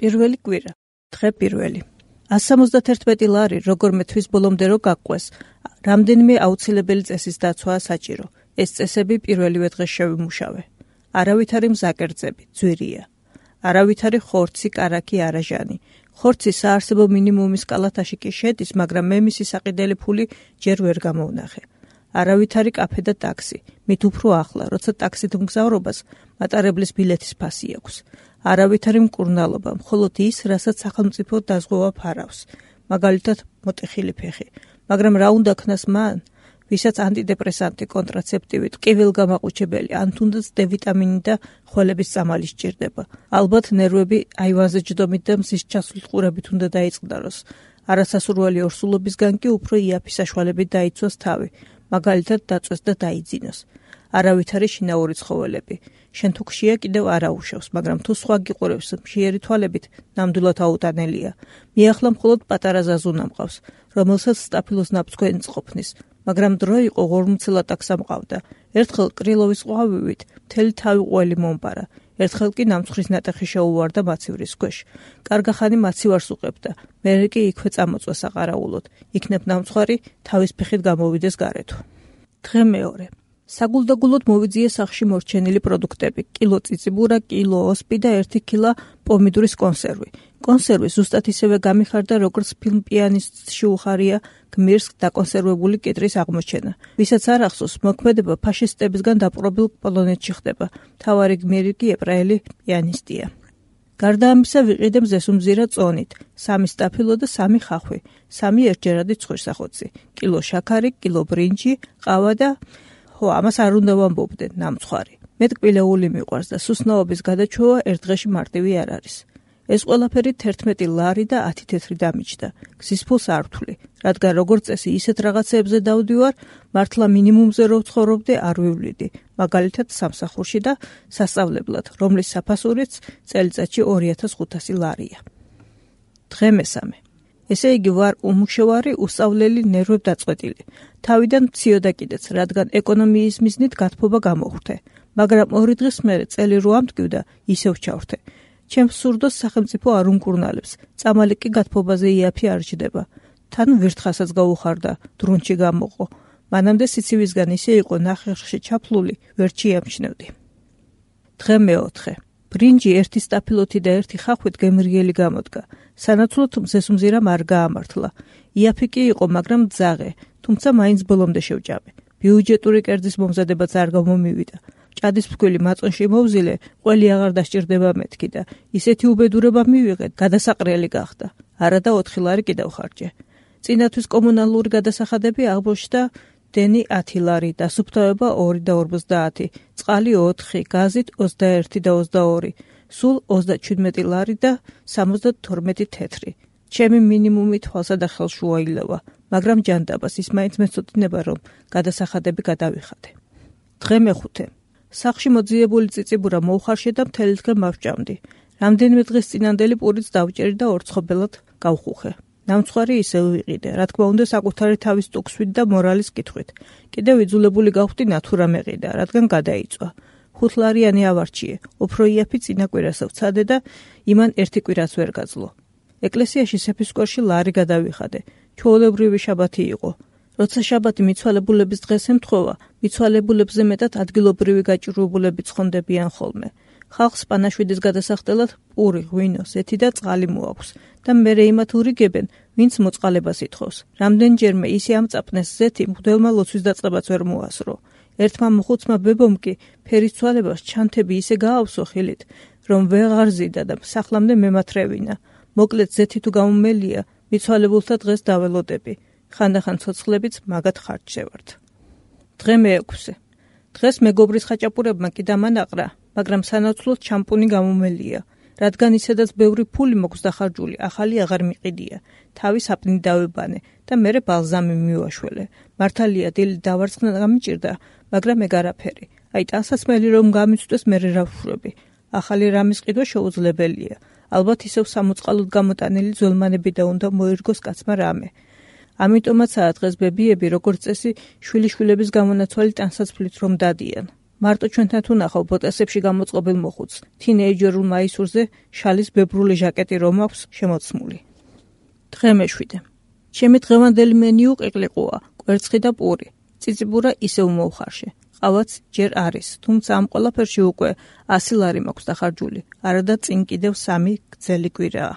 პირველი კვირა. დღე პირველი. 171 ლარი როგორმე თვის ბოლომდე რო გაყვეს, რამდენიმე აუცილებელი წესის დაცვაა საჭირო. ეს წესები პირველივე დღეს შევიმუშავე. არავითარი მზაკერძები, ძვირია. არავითარი ხორცი, კარაქი, არაჟანი. ხორცი საარსებო მინიმუმის კალათაში კი შედის, მაგრამ მე მისი საყიდელი ფული ჯერ ვერ გამოვნახე. არავითარი კაფე და ტაქსი, მით უფრო ახლა, როცა ტაქსით მგზავრობას მატარებლის ბილეთის ფასი აქვს. არავითარი მკურნალობა, მხოლოდ ის, რასაც სახელმწიფო დაზღვევა ფარავს, მაგალითად მოტეხილი ფეხი. მაგრამ რა უნდა ქნას მან, ვისაც ანტიდეპრესანტი, კონტრაცეპტივი, ტკივილგამაყუჩებელი, ან თუნდაც D ვიტამინი და ხველების წამალი სჭირდება. ალბათ ნერვები აივანზე ჯდომით და მზის ჩასვლით ყურებით უნდა დაიწყდაროს. არასასურველი ორსულობისგან კი უფრო იაფი საშუალებით დაიცვას თავი, მაგალითად დაწვეს და დაიძინოს. არავითარი შინაური ცხოველები. შენ თუ ხშია კიდევ არ აუშავს, მაგრამ თუ სხვა გიყურებს მშიერი თვალებით, ნამდვილად აუტანელია. მიახლა მხოლოდ პატარა ზაზუნა მყავს, რომელსაც სტაფილოს ნაფცქვენი წყოფნის, მაგრამ დრო იყო ღორმუცელა ტაქსა მყავდა. ერთხელ კრილოვის ყვავივით მთელი თავი ყველი მომპარა. ერთხელ კი ნამცხვრის ნატეხი შეუვარდა მაცივრის ქვეშ. კარგა ხანი მაცივარს უყებდა, მერე კი იქვე წამოწვა საყარაულოდ. იქნებ ნამცხვარი თავის ფეხით გამოვიდეს გარეთ. დღე მეორე. საგულდაგულოდ მოვიძიე სახლში მორჩენილი პროდუქტები: კილო წიწიბურა, კილო ოსპი და 1 კილა პომიდურის კონსერვი. კონსერვი ზუსტად ისევე გამიხარდა, როგორც ფილმ პიანისტში უხარია გმირს დაკონსერვებული კიტრის აღმოჩენა. ვისაც არ ახსოვს, მოქმედება ფაშისტებისგან დაპყრობილ პოლონეთში ხდება. მთავარი გმირი კი ებრაელი პიანისტია. გარდა ამისა ვიყიდე მზესუმზირა წონით, 3 სტაფილო და 3 ხახვი, 3 ერთჯერადი ცხვირსახოცი, კილო შაქარი, კილო ბრინჯი, ყავა და ამას არ უნდა ვამბობდე, ნამცხვარი. მე ტკბილეული მიყვარს და სუსნაობის გადაჩვევა ერთ დღეში მარტივი არ არის. ეს ყველაფერი 11 ლარი და 10 თეთრი დამიჯდა. გზის ფულს არ ვთვლი, რადგან როგორც წესი ისეთ რაღაცეებზე დავდივარ, მართლა მინიმუმზე რო ვცხოვრობდე არ ვივლიდი, მაგალითად სამსახურში და სასწავლებლად, რომლის საფასურიც წელიწადში 2500 ლარია. დღე მესამე. ესე იგი ვარ უმუშევარი, უსწავლელი, ნერვებდაწყვეტილი. თავიდან მციოდა კიდეც, რადგან ეკონომიის მიზნით გათბობა გამოხვდე, მაგრამ 2 დღის მერე წელი რო ამტკივდა, ისევ ჩავრთე. ჩემს სურდოს სახელმწიფო არ უმკურნალებს, წამალი კი გათბობაზე იაფი არ ჯდება. თან ვირთხასაც გაუხარდა, დრუნჩი გამოყო. მანამდე სიცივისგან ისე იყო ნახევრში ჩაფლული, ვერ ჩიამჩნევდი. დღე მეოთხე. ბრინჯი 1 სტაფილოთი და 1 ხახვით გემრიელი გამოდგა. სანაცვლოდ მზესუმზირამ არ გაამართლა. იაფი კი იყო, მაგრამ ძაღე, თუმცა მაინც ბოლომდე შევჭამე. ბიუჯეტური კერძის მომზადებაც არ გამომივიდა. ჭადის ფქვილი მაწონში მოვზილე, ყველი აღარ დასჭირდება მეთქი და ისეთი უბედურება მივიღე, გადასაყრელი გახდა. არა და 4 ლარი კიდევ ხარჯე. წინათვის კომუნალური გადასახადები აღმოჩნდა დენი 10 ლარი, დასუფთავება 2 და 50, წყალი 4, გაზით 21 და 22, სულ 37 ლარი და 72 თეთრი. ჩემი მინიმუმი თვალსა და ხელს შუაილევა, მაგრამ ჯანდაბას ის მაინც მეცოდინება, რომ გადასახადები გადავიხადე. დღე მეხუთე. სახლში მოძიებული წიწიბურა მოუხარშე და მთელი დღე მავჭამდი. რამდენიმე დღის წინანდელი პურიც დავჭერი და ორცხობელად გავხუხე. ნამცხვარი ისევ ვიყიდე, რა თქმა უნდა საკუთარი თავის ტუქსვით და მორალის კითხვით. კიდევ იძულებული გავხდი ნათურა მეყიდა, რადგან გადაიწვა. 5 ლარიანი ავარჩიე, უფრო იაფი წინა კვირას ვცადე და იმან 1 კვირას ვერ გაძლო. ეკლესიაში სეფისკვერში ლარი გადავიხადე. ჩვეულებრივი შაბათი იყო. როცა შაბათი მიცვალებულების დღეს ემთხვევა, მიცვალებულებზე მეტად ადგილობრივი გაჭირვებულები ცხონდებიან ხოლმე. ხალხს პანაშვიდის გადასახდელად პური, ღვინო, ზეთი და წყალი მოაქვს და მერე იმათ ურიგებენ, ვინც მოწყალებას ითხოვს. რამდენჯერმე ისე ამწაფნეს ზეთი, მღვდელმა ლოცვის დაწყებაც ვერ მოასრო. ერთმა მოხუცმა ბებომ კი ფერის ცვალებას ჩანთები ისე გაავსო ხილით, რომ ვეღარ ზიდა და სახლამდე მემათრევინა. მოკლედ ზეთი თუ გამომელია, მიცვალებულთა დღეს დაველოდები. ხანდახან ცოცხლებიც მაგათ ხარჯშევართ. დღე მეექვსე. დღეს მეგობრის ხაჭაპურებმა კი დამანაყრა, მაგრამ სანაცვლოდ შამპუნი გამომელია. რადგან ისედაც ბევრი ფული მოქვს დახარჯული, ახალი აღარ მიყიდია. თავი საპნი დავებანე და მერე ბალზამი მივაშველე. მართალია დილით დავარცხნა გამიჭირდა, მაგრამ ეგ არაფერი. აი ტანსაცმელი რომ გამიცვდეს, მერე რა ვშვრები. ახალი რამის ყიდვა შეუძლებელია. ალბათ ისევ სამოწყალოდ გამოტანილი ძველმანები და უნდა მოირგოს კაცმა რამე. ამიტომაცაა დღეს ბებიები როგორც წესი შვილიშვილების გამონაცვალი ტანსაცმლით რომ დადიან. მარტო ჩვენთან თუ ნახავ ბოტასებში გამოწყობილ მოხუცს, თინეიჯერულ მაისურზე შალის ბებრული ჟაკეტი რომ აქვს შემოცმული. დღე მეშვიდე. ჩემი დღევანდელი მენიუ ყიყლიყუა, კვერცხი და პური. წიწიბურა ისევ მოუხარშე. ყავაც ჯერ არის, თუმცა ამ ყველაფერში უკვე 100 ლარი მაქვს დახარჯული, არადა წინ კიდევ 3 გრძელი კვირაა.